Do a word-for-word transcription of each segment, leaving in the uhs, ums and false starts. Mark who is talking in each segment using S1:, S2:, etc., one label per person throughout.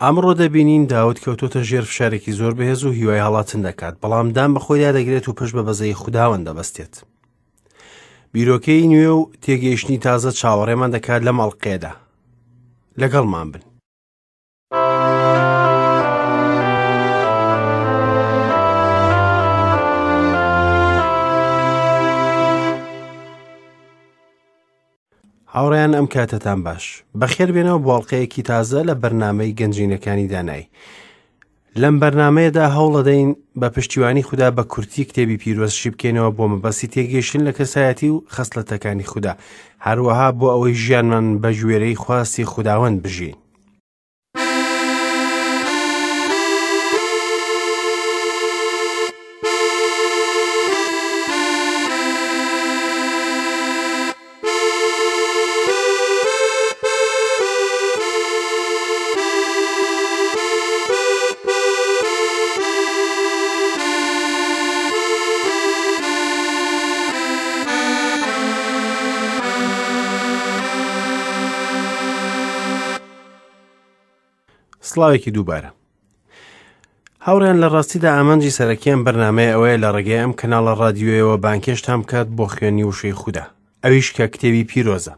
S1: ئەمڕۆ دەبینین داود کەوتۆتە ژێر فشارێکی زۆر بەهێز و هیوای هەڵاتن دەکات، بەڵام دان بە خۆیدا دەگرێت و پشت بە بەزەیی خوداوەند دەبەستێت. بیرۆکەی نوێ و تێگەیشتنی تازە چاوەڕێمان دەکات لەم ئەڵقەیەدا. لەگەڵمان بن. هاوڕێیان ئەم کاتەتان باش. بەخێر بێنەوە بۆ ئەڵقەیەکی تازە لە بەرنامەی گەنجینەکانی دانایی. لەم بەرنامەیەدا هەوڵەدەین بە پشتیوانی خودا بە کورتی کتێبی پیرۆز شی بکەینەوە بۆ مەبەستی تێگەیشتن لە کەسایەتی و خەسڵەتەکانی خودا، هەروەها بۆ ئەوەی ژیانمان بە گوێرەی خواستی خوداوەند بژین. سڵاوێکی دووبارە. هاوڕێیان لە ڕاستیدا ئامانجی سەرەکیان بەرنامەیە ئەوەیە لە ڕێگەی ئەم کەناڵە ڕادیۆیەوە بانکێشتان بکات بۆ خوێندنی وشەی خودا، ئەویش کە کتێبی پیرۆزە.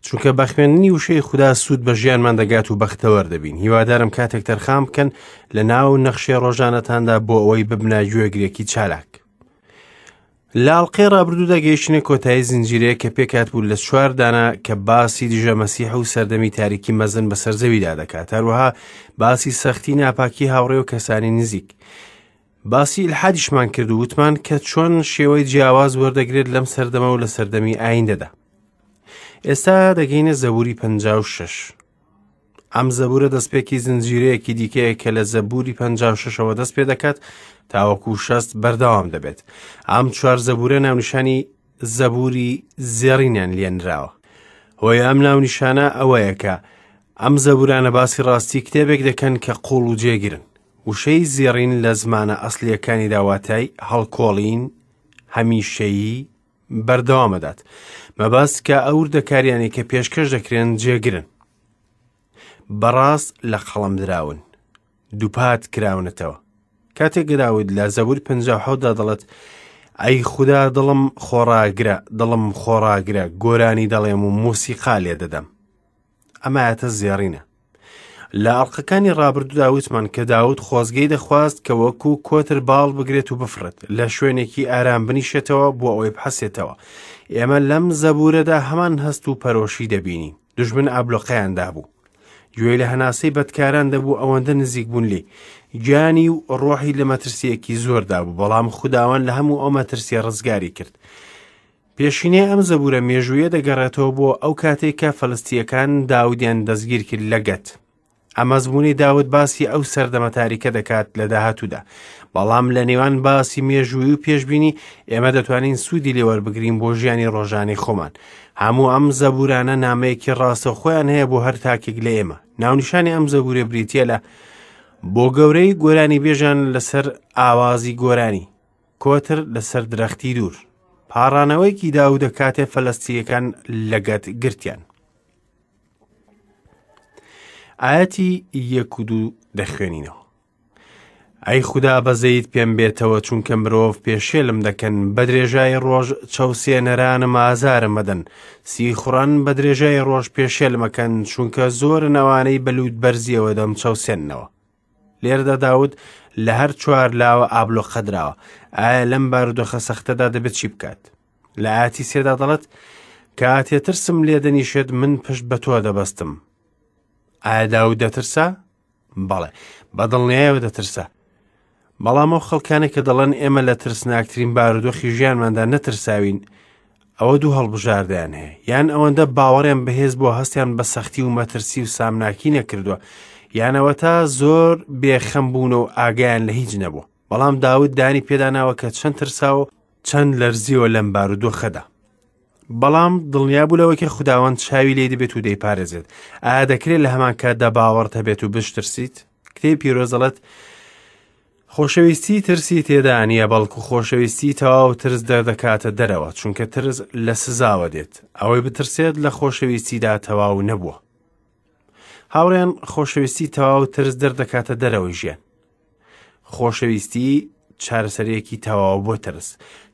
S1: چونکە بە خوێندنی وشەی خودا سوود بە ژیانمان دەگات و بەختەوەر دەبین. هیوادارم کاتێک تەرخان بکەن لە ناو نەخشەی ڕۆژانەتاندا بۆ ئەوەی ببنە گوێگرێکی چالاک. لە ئەڵقەی ڕابردوودا گەیشتنە کۆتایی زنجیرەیە کە پێکهات بوو لە چوار دانە کە باسی دژە مەسیح و سەردەمی تاریکی مەزن بەسەر زەویدا دەکات، هەروەها باسی سەختی ناپاکی هاوڕێ و کەسانی نزیک. باسی ئیلحادیشمان کرد و وتمان کە چۆن شێوەی جیاواز وەردەگرێت لەم سەردەمە و لە سەردەمی ئایندەدا. ئێستا دەگەینە زەبوری پەنجا و شەش. ئەم زەبورە دەستپێکی زنجیرەیەکی دیکەیە کە لە زەبوری پەنجا و شەشەوە دەست پێ دەکات تاوەکو شەست بەردەوام دەبێت. ئەم چوار زەبورە ناونیشانی زەبوری زێڕینیان لێنراوە. هۆی ئەم ناونیشانە ئەوەیە کە ئەم زەبورانە باسی ڕاستی کتێبێک دەکەن کە قوڵ و جێگرن. وشەی زێڕین لە زمانە ئەسلیەکانی داواتای هەڵکۆڵین، هەمیشەیی بەردەوامەدات. مەبەست کە ئەو وردەکاریانەی کە پێشکەش دەکرێن جێگرن، بەڕاست لە قەڵەم دراون، دووپات کراونەتەوە. کاتێک داود لە زەبور پەنجا و حەوتدا دەڵێت ئەی خودا دڵم خۆڕاگرە، دڵم خۆڕاگرە، گۆرانی دەڵێم و مۆسیقا لێ دەدەم. ئەمە ئایەتە زێڕینە. لە ئەڵقەکانی ڕابردوودا وتمان کە داود خۆزگەی دەخواست کە وەکو کۆتر باڵ بگرێت و بفڕێت، لە شوێنێکی ئارام بنیشێتەوە بۆ ئەوەی بحەسێتەوە. ئێمە لەم زەبورەدا هەمان هەست و پەرۆشی دەبینین. دوژمن ئابلۆقەیان دابوو، گوێی لە هەناسەی بەدکاران دەبوو، ئەوەندە نزیک بوون لێی. گیانی و ڕۆحی لە مەترسیەکی زۆردا بوو، بەڵام خوداوەند لە هەموو ئەو مەترسیە ڕزگاری کرد. پێشینەی ئەم زەبورە مێژوویە دەگەڕێتەوە بۆ ئەو کاتێک کە فەلەستییەکان داودیان دەستگیر کرد لە گەت. ئەمەزمونەی داود باسی ئەو سەردەمە تاریکە دەکات لە داهاتوودا، بەڵام لە نێوان باسی مێژووی و پێشبینی ئێمە دەتوانین سوودی لێوەربگرین بۆ ژیانی ڕۆژانەی خۆمان. هەموو ئەم زەبورانە نامەیەکی ڕاستەوخۆیان هەیە بۆ هەر تاکێک لە ئێمە. ناونیشانی ئەم زەبورە بریتییە لە بۆ گەورەی گۆرانی بێژان لەسەر ئاوازی گۆرانی، کۆتر لەسەر درەختی دوور. پاڕانەوەیەکی داودە کاتێ فەلەستییەکان لە گەت گرتیان. ئایەتی یەک و دوو دەخوێنینەوە. ئەی خودا بەزەیت پێم بێتەوە، چونکە مرۆڤ پێشێلم دەکەن، بە درێژای ڕۆژ چەوسێنەرانم ئازارم مەدەن. سیخوڕان بە درێژای ڕۆژ پێشێلمەکەن، چونکە زۆرن ئەوانەی بە لووت بەرزیەوە دەم چەوسێننەوە. لێرەدا داود لە هەر چوار لاوە ئابلۆقە دراوە. ئایا لەم بارودۆخە سەختەدا دەبێت چی بکات؟ لە ئایەتی سێدا دەڵێت کاتێ ترسم لێ دەنیشێت من پشت بە تۆ دەبەستم. ئایا داود دەترسا؟ بەڵێ، بەدڵنیایەوە دەترسا. بەڵام ئەو خەڵکانێک کە دەڵێن ئێمە لە ترسناکترین بارودۆخی ژیانماندا نەترساوین، ئەوە دوو هەڵبژاردەیان هەیە. یان ئەوەندە باوەڕیان بەهێز بۆ هەستیان بە سەختی و مەترسی و سامناکی نەکردووە، یانەوە تا زۆر بێخەم بوون و ئاگایان لە هیچ نەبوو. بەڵام داود دانی پێداناوە کە چەند ترسا و چەند لەرزیەوە لەم بارودۆخەدا. بەڵام دڵنیا بوو لەوەی کە خوداوەند چاوی لێ دەبێت و دەیپارێزێت. ئایا دەکرێت لە هەمان کاتدا باوەڕت هەبێت و بشترسیت؟ کتێبی پیرۆز دەڵێت خۆشەویستی ترسی تێدا نییە، بەڵکو خۆشەویستی تەواو ترس دەردەکاتە دەرەوە، چونکە ترس لە سزاوە دێت. ئەوەی بترسێت لە خۆشەویستیدا تەواو نەبووە. هاوڕێیان، خۆشەویستی تەواو ترس دەردەکاتە دەرەوەی ژیان. خۆشەویستی چارەسەرێکی تەواو بۆ ترس،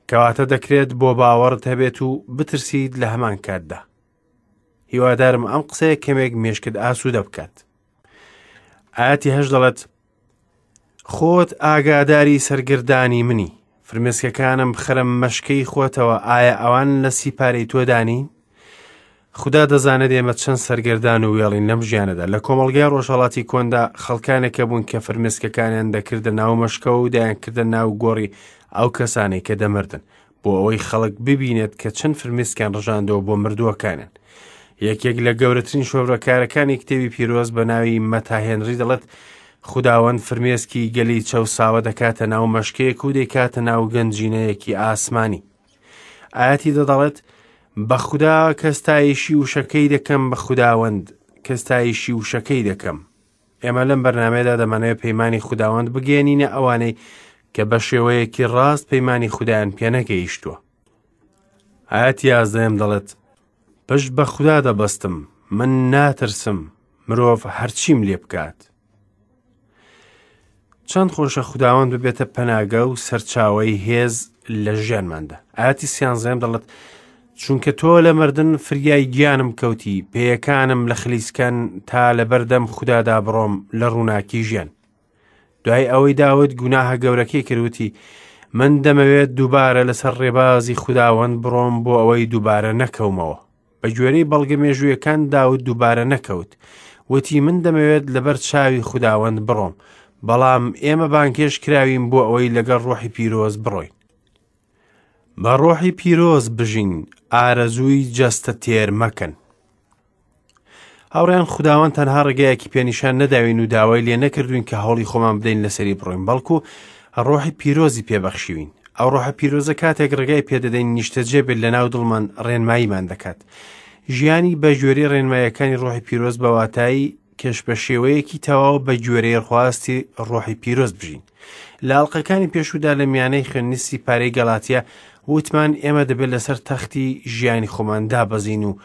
S1: کەواتە دەکرێت بۆ باوەڕت هەبێت و بترسیت لە هەمان کاتدا. هیوادارم ئەم قسەیە کەمێک مێشکت ئاسوودە بکات. ئاەتی هەشت دەڵێت: خۆت ئاگاداری سەرگردانی منی، فرمێسکەکانم بخەرە مەشکەی خۆتەوە، ئایا ئەوان لە سیپارەی تۆدانی؟ خودا دەزانێت ئێمە چەند سەرگەردان و وێڵین لەم ژیانەدا. لە کۆمەڵگای ڕۆژهەڵاتی کۆندا خەڵکانێکە بوون کە فرمێسکەکانیان دەکردە ناو مەشکەوە و دەیانکردە ناو گۆڕی ئەو کەسانەی کە دەمردن، بۆ ئەوەی خەڵک ببینێت کە چەند فرمێسکیان ڕژاندەوە بۆ مردووەکانیان. یەکێک لە گەورەترین شۆڤەکارەکانی کتێبی پیرۆز بە ناوی مەتا هێنری دەڵێت: خوداوەند فرمێسکی گەلی چەوساوە دەکاتە ناو مەشکەیەک و دەیکاتە ناو گەنجینەیەکی ئاسمانی. ئاەتی دەڵێت: بە خودا کەستایشی وشەکەی دەکەم، بە خوداوەند کەستایشی وشەکەی دەکەم. ئێمە لەم بەرنامەیەدا دەمانەوێت پەیمانی خوداوەند بگەیەنینە ئەوانەی کە بە شێوەیەکی ڕاست پەیمانی خودایان پێنەگەیشتووە. ئاەتی یازدەیەم دەڵێت: پشت بە خودا دەبەستم، من ناترسم، مرۆڤ هەرچیم لێ بکات. چەند خۆشە خوداوەند ببێتە پەناگە و سەرچاوەی هێز لە ژیانماندا. ئاەتی سیانزەیەم دەڵێت: چونکە تۆ لە مردن فریای گیانم کەوتی، پێیەکانم لە خلیسکان تا لە بەردەم خودادا بڕۆم لە ڕووناکی ژیان. دوای ئەوەی داود گوناهە گەورەکەی کردوتی، من دەمەوێت دووبارە لەسەر ڕێبازی خوداوەند بڕۆم بۆ ئەوەی دووبارە نەکەومەوە. بە گوێرەی بەڵگە مێژوویەکان داود دووبارە نەکەوت. وتی من دەمەوێت لەبەر چاوی خوداوەند بڕۆم، بەڵام ئێمە بانکێش کراوین بۆ ئەوەی لەگەڵ ڕۆحی پیرۆز بڕۆین. بە ڕۆحی پیرۆز بژین، ئارەزووی جەستە تێر مەکەن. هاوڕێیان، خوداوەند تەنها ڕێگایەکی پێنیشان نەداوین و داوای لێ نەکردوین کە هەوڵی خۆمان بدەین لەسەری بڕۆین، بەڵکو ڕۆحی پیرۆزی پێبەخشیوین. ئەو ڕۆحە پیرۆزە کاتێک ڕێگای پێدەدەین نیشتەجێ بێت لەناو دڵمان ڕێنماییمان دەکات. ژیانی بە گوێرەی ڕێنماییەکانی ڕۆحی پیرۆز بە واتایی کەش بە شێوەیەکی تەواو بە گوێرەی خواستی ڕۆحی پیرۆز بژین. لە ئەڵقەکانی پێشوودا لە میانەی خوێندنی سیپارەی گەلاتیا وتمان ئێمە دەبێت لەسەر تەختی ژیانی خۆمان دابەزین و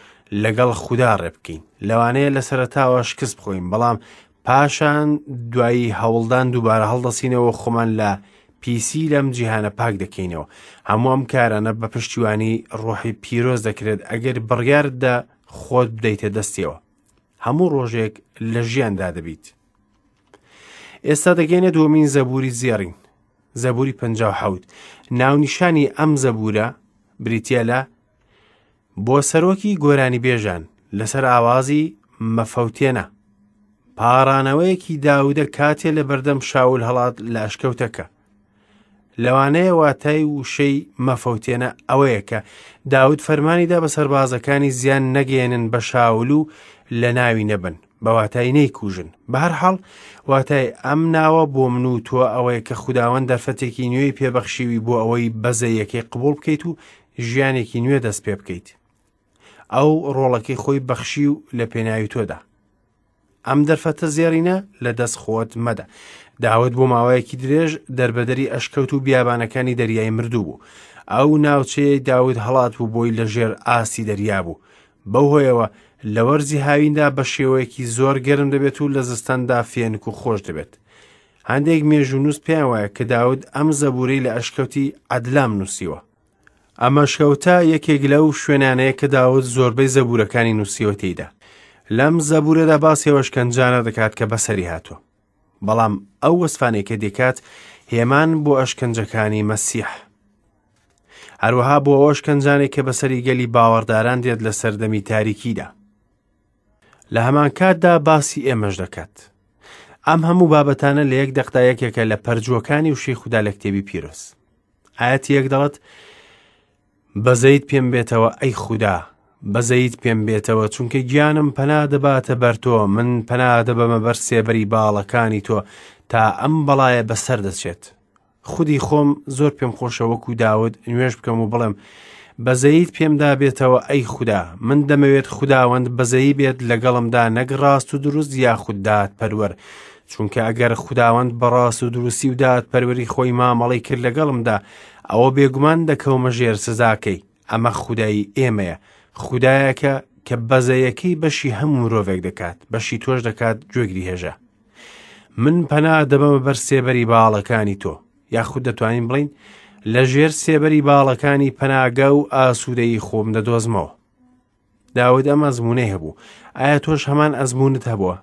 S1: لەگەڵ خودا ڕێ بکەین. لەوانەیە لە سەرەتاوە شکست بخۆین، بەڵام پاشان دوایی هەوڵدان دووبارە هەڵدەسینەوە خۆمان لە پیسی لەم جیهانە پاک دەکەینەوە. هەموو ئەم کارانە بە پشتیوانی ڕۆحی پیرۆز دەکرێت ئەگەر بڕیاردا خۆت بدەیتە دەستیەوە. هەموو ڕۆژێک لە ژیاندا دەبیت. ئێستا دەگەینە دووەمین زەبوری زێڕین، زەبوری پەنجا و حەوت. ناونیشانی ئەم زەبورە بریتیە لە بۆ سەرۆکی گۆرانی بێژان لەسەر ئاوازی مەفەوتێنە. پاڕانەوەیەکی داودە کاتێ لە بەردەم شاول هەڵات لە ئەشکەوتەکە. لەوانەیە واتای وشەی مەفەوتێنە ئەوەیە کە داود فەرمانیدا بە سەربازەکانی زیان نەگەیەنن بە شاول و لە ناوی نەبن، بە واتای نەیکوژن. بەهەرحاڵ واتای ئەم ناوە بۆ من و تۆ ئەوەیە کە خوداوەند دەرفەتێکی نوێی پێبەخشیوی بۆ ئەوەی بەزەیەکەی قبوڵ بکەیت و ژیانێکی نوێ دەست پێ بکەیت. ئەو ڕۆڵەکەی خۆی بەخشی و لە پێناوی تۆدا. ئەم دەرفەتە زێڕینە لە دەست خۆت مەدە. داود بۆ ماوەیەکی درێژ دەربەدەری ئەشکەوت و بیابانەکانی دەریای مردوو بوو. ئەو ناوچەیەی داود هەڵات بوو بۆی لەژێر ئاستی دەریا بوو. بەو هۆیەوە لە وەرزی هاویندا بە شێوەیەکی زۆر گەرم دەبێت و لە زستاندا فێنک و خۆش دەبێت. هەندێک مێژوونووس پێیان وایە کە داود ئەم زەبورەی لە ئەشکەوتی عەدلام نووسیوە. ئەم ئەشکەوتە یەکێک لەو شوێنانەیە کە داود زۆربەی زەبورەکانی نووسیوە تێیدا. لەم زەبورەدا باسی ئەو ئەشکەنجانە دەکات کە بەسەری هاتووە، بەڵام ئەو وەسفانەی کە دەکات هێمان بۆ ئەشکەنجەکانی مەسیح، هەروەها بۆ ئەو ئەشکەنجانەی کە بەسەری گەلی باوەڕداران دێت لە سەردەمی تاریکیدا. لە هەمان کاتدا باسی ئێمەش دەکات. ئەم هەموو بابەتانە لە یەک دەقدا یەکێکە لە پەرجووەکانی وشەی خودا لە کتێبی پیرۆز. ئاەتی یەک دەڵێت: بەزەیت پێم بێتەوە ئەی خودا، بەزەیت پێم بێتەوە، چونکە گیانم پەنا دەباتە بەر تۆ، من پەنا دەبەمە بەر سێبەری باڵەکانی تۆ تا ئەم بەڵایە بەسەر دەچێت. خودی خۆم زۆر پێم خۆشە وەکو داود نوێژ بکەم و بڵێم بەزەیت پێمدا بێتەوە ئەی خودا، من دەمەوێت خوداوەند بەزەیی بێت لەگەڵمدا نەک ڕاست و دروست یاخود دادپەروەر، چونکە ئەگەر خوداوەند بە ڕاست و دروستی و دادپەروەری خۆی مامەڵەی کرد لەگەڵمدا، ئەوە بێگومان دەکەومە ژێر سزاکەی. ئەمە خودای ئێمەیە، خودایەکە کە بەزەیەکەی بەشی هەموو مرۆڤێک دەکات، بەشی تۆش دەکات گوێگری هێژە. من پەنا دەبەمە بەر سێبەری باڵەکانی تۆ، یاخود دەتوانین بڵین لە ژێر سێبەری باڵەکانی پەناگە و ئاسوودەیی خۆم دەدۆزمەوە. داود ئەم ئەزمونەی هەبوو. ئایا تۆش هەمان ئەزمونت هەبووە؟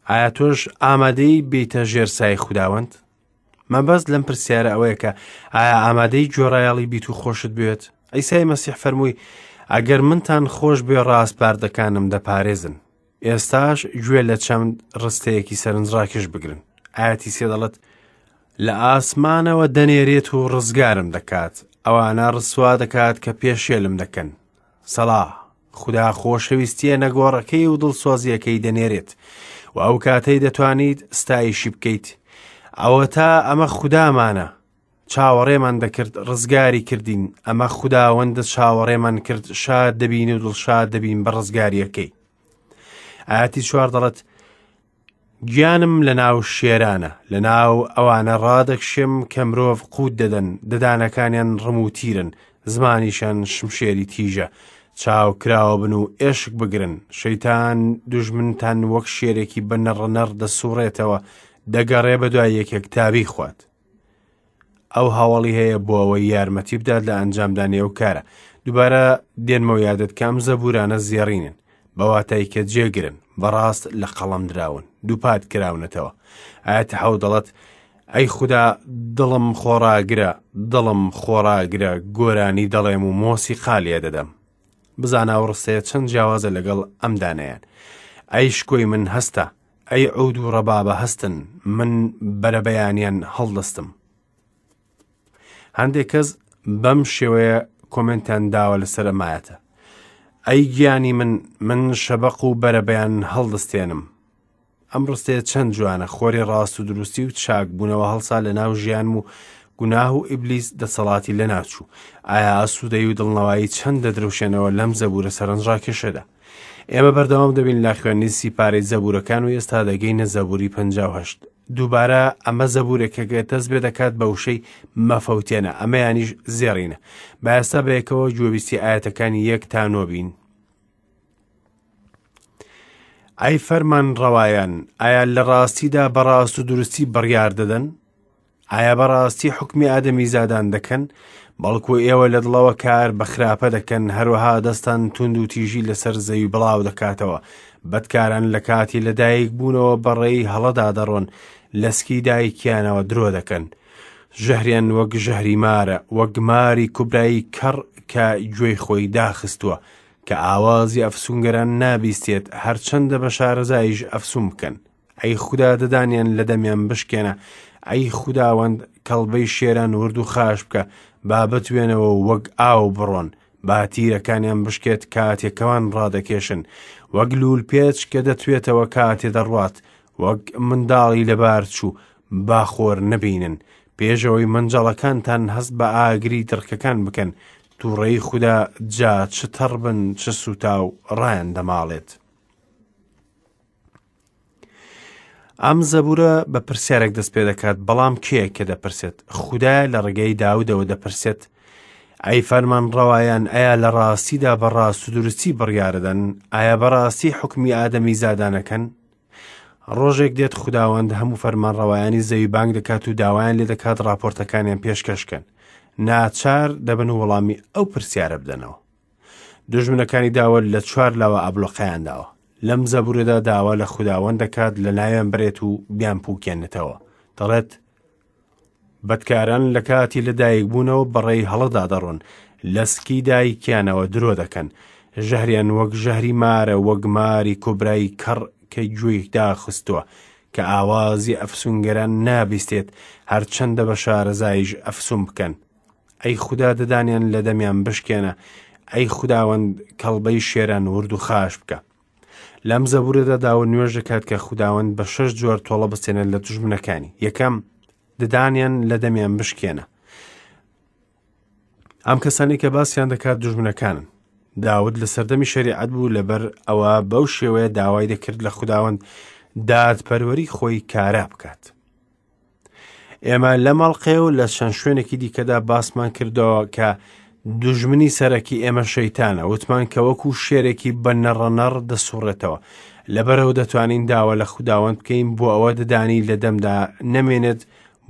S1: ئایا تۆش ئامادەی بیتە ژێر سای خوداوەند؟ مەبەست لەم پرسیارە ئەوەیە کە ئایا ئامادەی گوێڕایەڵی بیت و خۆشت بێت؟ عیسای مەسیح فەرمووی ئەگەر منتان خۆش بێ ڕاسپاردەکانم دەپارێزن. ئێستاش گوێ لە چەند ڕستەیەکی سەرنجڕاکێش بگرن. ئاەتی سێ دەڵێت لە ئاسمانەوە دەنێرێت و ڕزگارم دەکات، ئەوانە ڕسوا دەکات کە پێشێلم دەکەن. سەلا، خودا خۆشەویستیە نەگۆڕەکەی و دڵسۆزیەکەی دەنێرێت و ئەو کاتەی دەتوانیت ستایشی بکەیت. ئەوە تا ئەمە خودامانە، چاوەڕێمان دەکرد ڕزگاری کردین، ئەمە خوداوەندە چاوەڕێمان کرد شاد دەبین و دڵشاد دەبین بە ڕزگاریەکەی. ئاەتی چوار دەڵێت گیانم لە ناو شێرانە، لە ناو ئەوانە ڕادەکشێم کە مرۆڤ قووت دەدەن، ددانەکانیان ڕم و تیرن، زمانیشان شمشێری تیژە، چاو کراوە بن و ئێشک بگرن. شەیتان دوژمنتان وەک شێرێکی بە نەڕەنەڕ دەسوڕێتەوە، دەگەڕێ بە دوای یەکێک تابی خوات. ئەو هاوڵی هەیە بۆ ئەوەی یارمەتی بدات لە ئەنجامدانی ئەو کارە. دووبارە دێنمەوە یادت کە ئەم زەبورانە زێڕینن، بە واتای کە جێگرن، بەڕاست لە قەڵەم دراون، دووپات کراونەتەوە. ئاەتی حەوت دەڵێت ئەی خودا دڵم خۆڕاگرە، دڵم خۆڕاگرە، گۆرانی دەڵێم و مۆسیقا لێ دەدەم. بزانە ئەو ڕستەیە چەند جیاوازە لەگەڵ ئەم دانەیان. ئەی شکۆی من هەستە، ئەی عود و ڕەبابە هەستن، من بەرەبەیانیان هەڵدەستم. هەندێک کەس بەم شێوەیە کۆمێنتیان داوە لەسەر ئەمایەتە. ئەی گیانی من، من شەبەق و بەرەبەیان هەڵدەستێنم. ئەم ڕستەیە چەند جوانە، خۆری ڕاست و دروستی و چاک بوونەوە هەڵسا لە ناو ژیانم و گوناه و ئیبلیس دەسەڵاتی لەناچوو. ئایا ئاسوودەی و دڵنەوایی چەند دەدرەوشێنەوە لەم زەبورە سەرنجڕاکێشەدا؟ ئێمە بەردەوام دەبین لە خوێندنی سیپارەی زەبورەکان و ئێستا دەگەینە زەبوری پەنجا و هەشت. دووبارە ئەمە زەبورێکە کە دەست پێ دەکات بە وشەی مەفەوتێنە، ئەمەیانیش زێڕینە. با ئێستا بەیەکەوە گوێبیستی ئاەتەکانی یەک تا نۆ بین. ئەی فەرمان ڕەوایان، ئایا لە ڕاستیدا بەڕاست و دروستی بڕیار دەدەن؟ ئایا بەڕاستی حوکمی ئادەمی زادان دەکەن؟ بەڵکو ئێوە لە دڵەوە کار بە خراپە دەکەن، هەروەها دەستان توند و تیژی لەسەر زەوی بڵاو دەکاتەوە. بەدکاران لە کاتی لەدایک بوونەوە بەڕێی هەڵەدا دەڕۆن، لەسکی دایکیانەوە درۆ دەکەن. ژەهریان وەک ژەهری مارە، وەک ماری کوبرایی کەڕ کە گوێی خۆی داخستووە، کە ئاوازی ئەفسونگەران نابیستێت، هەرچەندە بە شارەزاییش ئەفسون بکەن. ئەی خودا ددانیان لە دەمیان بشکێنە، ئەی خوداوەند کەڵبەی شێران ورد و خاش بکە، با بتوێنەوە وەک ئاو بڕۆن، با تیرەکانیان بشکێت کاتێکەوان ڕادەکێشن، وەک لوول پێچ کە دەتوێتەوە کاتێ دەڕوات، وەک منداڵی لەبار چوو با خۆر نەبینن. پێشەوەی مەنجەڵەکانتان هەست بە ئاگری دڕکەکان بکەن، تووڕەی خودا جا چ تەڕ بن چ سووتا و ڕایان دەماڵێت. ئەم زەبورە بە پرسیارێک دەست پێ دەکات، بەڵام کێیە کە دەپرسێت؟ خودایە لە ڕێگەی داودەوە دەپرسێت ئەی فەرمان ڕەوایان، ئایا لە ڕاستیدا بە ڕاست و دروستی بڕیاردەن؟ ئایا بەڕاستی حوکمی ئادەمی زادانەکەن؟ ڕۆژێک دێت خوداوەند هەموو فەرمان ڕەوایانی زەوی بانگ دەکات و داوایان لێ دەکات ڕاپۆرتەکانیان پێشکەشکەن. ناچار دەبن وەڵامی ئەو پرسیارە بدەنەوە. دوژمنەکانی داوە لە چوار لاوە ئابلۆقەیان داوە. لەم زەبورەدا داوا لە خوداوەند دەکات لە ناویان برێت و بیان پوکێنێتەوە. دەڵێت بەدکاران لە کاتی لەدایک بوونەوە بەڕێی هەڵەدا دەڕۆن، لە سکی دایکیانەوە درۆ دەکەن. ژەهریان وەک ژەهری مارە، وەک ماری کۆبرای کەڕ کە گوێی داخستووە، کە ئاوازی ئەفسونگەران نابیستێت، هەرچەندە بە شارەزاییش ئەفسون بکەن. ئەی خودا ددانیان لە دەمیان بشکێنە، ئەی خوداوەند کەڵبەی شێران ورد و خاش بکە. لەم زەبورەدا داوە نوێژ دەکات کە خوداوەند بە شەش جۆر تۆڵە بستێنێت لە دوژمنەکانی. یەکەم، ددانیان لە دەمیان بشکێنە. ئەم کەسانی کە باسیان دەکات دوژمنەکانن. داود لە سەردەمی شەریعەت بوو، لەبەر ئەوە بەو شێوەیە داوای دەکرد لە خوداوەند دادپەروەری خۆی کارا بکات. ئێمە لە مەڵقێ و لە چەند شوێنێکی دیکەدا باسمان کردەوە کە دوژمنی سەرەکی ئێمە شەیتانە، وتمان کە وەکو شێرێکی بە نەڕەنەڕ دەسوڕێتەوە. لەبەرەوە دەتوانین داوا لە خوداوەند بکەین بۆ ئەوە ددانی لە دەمدا نەمێنێت،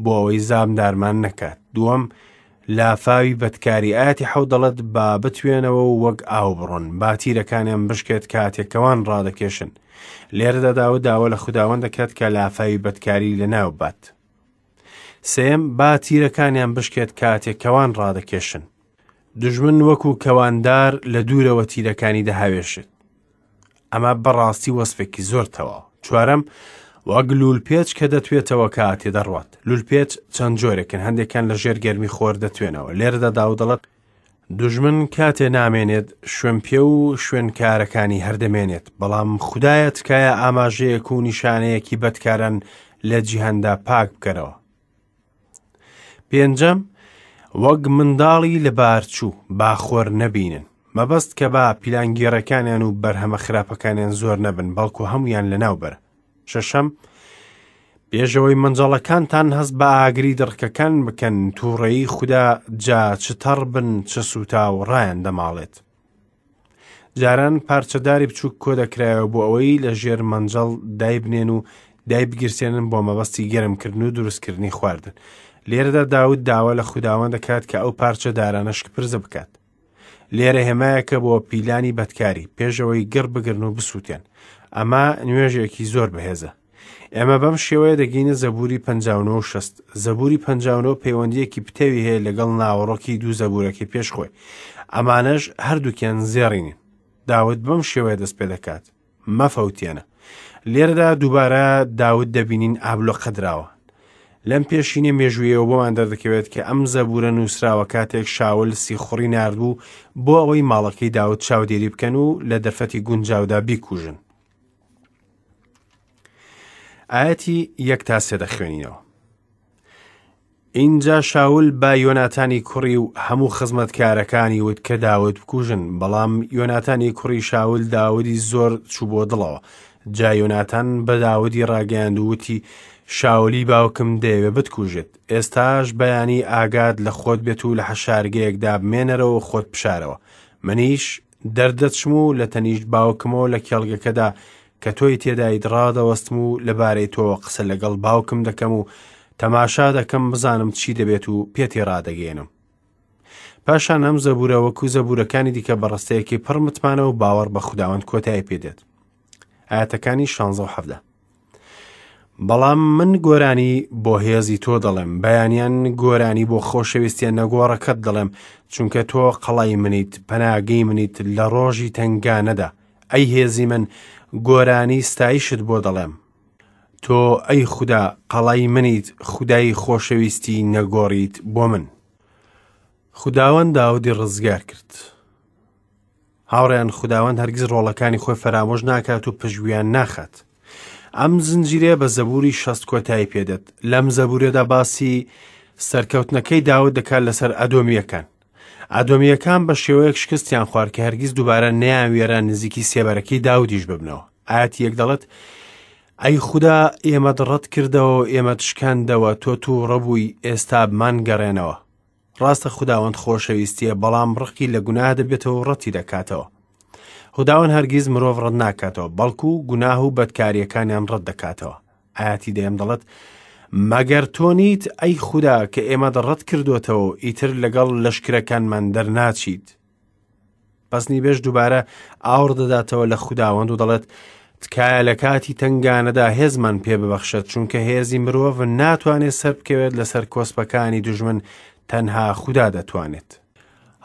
S1: بۆ ئەوەی زامدارمان نەکات. دووەم، لافاوی بەدکاری. ئاەتی حەوت دەڵێت با بتوێنەوە و وەک ئاو بڕۆن، با تیرەکانیان بشکێت کاتێکەوان ڕادەکێشن. لێرەدا داود داوا لە خوداوەند دەکات کە لافاوی بەدکاری لەناو بات. سێم، با تیرەکانیان بشکێت کاتێکەوان ڕادەکێشن. دوژمن وەکو کەواندار لە دوورەوە تیرەکانی دەهاوێشێت. ئەمە بەڕاستی وەسفێکی زۆر تەواو. چوارەم، وەک لولپێچ کە دەتوێتەوە کاتێ دەڕوات. لولپێچ چەند جۆرێکن، هەندێکیان لە ژێر گەرمی خۆر دەتوێنەوە. لێرەدا داود دەڵێت دوژمن کاتێ نامێنێت، شوێنپێ و شوێنکارەکانی هەردەمێنێت، بەڵام خودایە تکایە ئاماژەیەک و نیشانەیەکی بەدکاران لە جیهاندا پاک بکەرەوە. پێنجەم، وەک منداڵی لەبارچوو با خۆر نەبینن. مەبەست کە با پیلانگێڕەکانیان و بەرهەمە خراپەکانیان زۆر نەبن، بەڵکو هەمویان لەناو بەرە. شەشەم، پێشەوەی مەنجەڵەکانتان هەست بە ئاگری دڕکەکان بکەن، تووڕەیی خودا جا چ تەڕ بن چ سووتا و ڕایان دەماڵێت. جاران پارچەداری بچووک کۆ دەکرایەوە بۆ ئەوەی لە ژێر مەنجەڵ دایبنێن و دایبگیرسێنن بۆ مەبەستی گەرمکردن و دروستکردنی خواردن. لێرەدا داود داوا لە خوداوەند دەکات کە ئەو پارچەدارانە شکپرزە بکات. لێرە هێمایەکە بۆ پیلانی بەدکاری، پێشەوەی گڕ بگرن و بسووتێن. ئەمە نوێژێکی زۆر بەهێزە. ئێمە بەم شێوەیە دەگەینە زەبوری پەنجا و نۆ و شەست. زەبوری پەنجا و نۆ پەیوەندیەکی پتەوی هەیە لەگەڵ ناوەڕۆکی دوو زەبورەکەی پێش خۆی. ئەمانەش هەردووکیان زێڕینن. داود بەم شێوەیە دەست پێ دەکات: مەفەوتێنە. لێرەدا دووبارە داود دەبینین ئابلۆقە دراوە. لەم پێشینە مێژوویەوە بۆمان دەردەکەوێت کە ئەم زەبورە نووسراوە کاتێک شاول سیخوڕی ناردبوو بۆ ئەوەی ماڵەکەی داود چاودێری بکەن و لە دەرفەتی گونجاودا بیکوژن. ئاەتی یەک تا سێ دەخوێنینەوە. ئینجا شاول بە یۆناتانی کوڕی و هەموو خزمەتکارەکانی وت کە داود بکوژن، بەڵام یۆناتانی کوڕی شاول داودی زۆر چوو بۆ دڵەوە. جا یۆناتان بە داودی ڕاگەیاند و وتی شاولی باوکم دەیەوێ بتکوژێت، ئێستاش بەیانی ئاگات لە خۆت بێت و لە حەشارگەیەکدا بمێنەرەوە و خۆت بشارەوە. منیش دەردەچم و لە تەنیشت باوکمەوە لە کێڵگەکەدا کە تۆی تێدایت ڕادەوەستم و لەبارەی تۆوە قسە لەگەڵ باوکم دەکەم و تەماشا دەکەم بزانم چی دەبێت و پێتی ڕادەگەێنم. پاشان ئەم زەبورە وەکو زەبورەکانی دیکە بەڕستەیەکی پڕ متمانە و باوەڕ بە خوداوەند کۆتایی پێدێت. ئاەتەکانی شانزە و حەڤدە. بەڵام من گۆرانی بۆ هێزی تۆ دەڵێم، بەیانیان گۆرانی بۆ خۆشەویستیە نەگۆڕەکەت دەڵێم، چونکە تۆ قەڵای منیت، پەناگەی منیت لە ڕۆژی تەنگانەدا. ئەی هێزی من، گۆرانی ستایشت بۆ دەڵێم. تۆ ئەی خودا قەڵای منیت، خودای خۆشەویستی نەگۆڕیت بۆ من. خوداوەند داودی ڕزگار کرد. هاوڕێیان، خوداوەند هەرگیز ڕۆڵەکانی خۆی فەرامۆش ناکات و پشتگوێیان ناخات. ئەم زنجیرەیە بە زەبوری شەست کۆتایی پێدێت. لەم زەبورەدا باسی سەرکەوتنەکەی داود دەکات لەسەر ئەدۆمییەکان. ئەدۆمییەکان بە شێوەیەک شکستیان خوارد کە هەرگیز دووبارە نەیانوێرا نزیکی سێبەرەکەی داودیش ببنەوە. ئاەتی یەک دەڵێت ئەی خودا ئێمەت ڕەت کردەوە و ئێمەت شکاندەوە، تۆ تووڕە بووی، ئێستا بمانگەڕێنەوە. ڕاستە خوداوەند خۆشەویستیە، بەڵام ڕقی لە گوناه دەبێتەوە و ڕەتی دەکاتەوە. خوداوەند هەرگیز مرۆڤ ڕەت ناکاتەوە، بەڵکو گوناه و بەدکاریەکانیان ڕەت دەکاتەوە. ئاەتی دەیەم دەڵێت مەگەر تۆ نیت ئەی خودا کە ئێمەت ڕەت کردوتەوە و ئیتر لەگەڵ لەشکرەکانمان دەرناچیت. پەسنی بێژ دووبارە ئاوڕ دەداتەوە لە خوداوەند و دەڵێت تکایە لە کاتی تەنگانەدا هێزمان پێ ببەخشێت، چونکە هێزی مرۆڤ ناتوانێت سەر بکەوێت لەسەر کۆسپەکانی دوژمن، تەنها خودا دەتوانێت.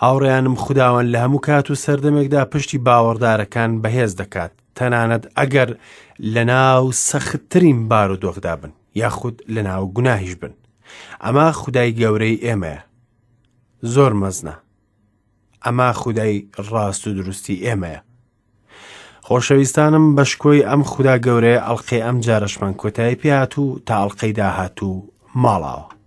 S1: هاوڕێیانم، خوداوەند لە هەموو کات و سەردەمێکدا پشتی باوەڕدارەکان بەهێز دەکات، تەنانەت ئەگەر لەناو سەختترین بارودۆخدا بن یاخود لەناو گوناهیش بن. ئەمە خودای گەورەی ئێمەیە، زۆر مەزنە. ئەمە خودای ڕاست و دروستی ئێمەیە. خۆشەویستانم، بە شکۆی ئەم خودا گەورەیە ئەڵقەی ئەم جارەشمان کۆتایی پێهات و تا ئەڵقەی داهاتوو ماڵاوە.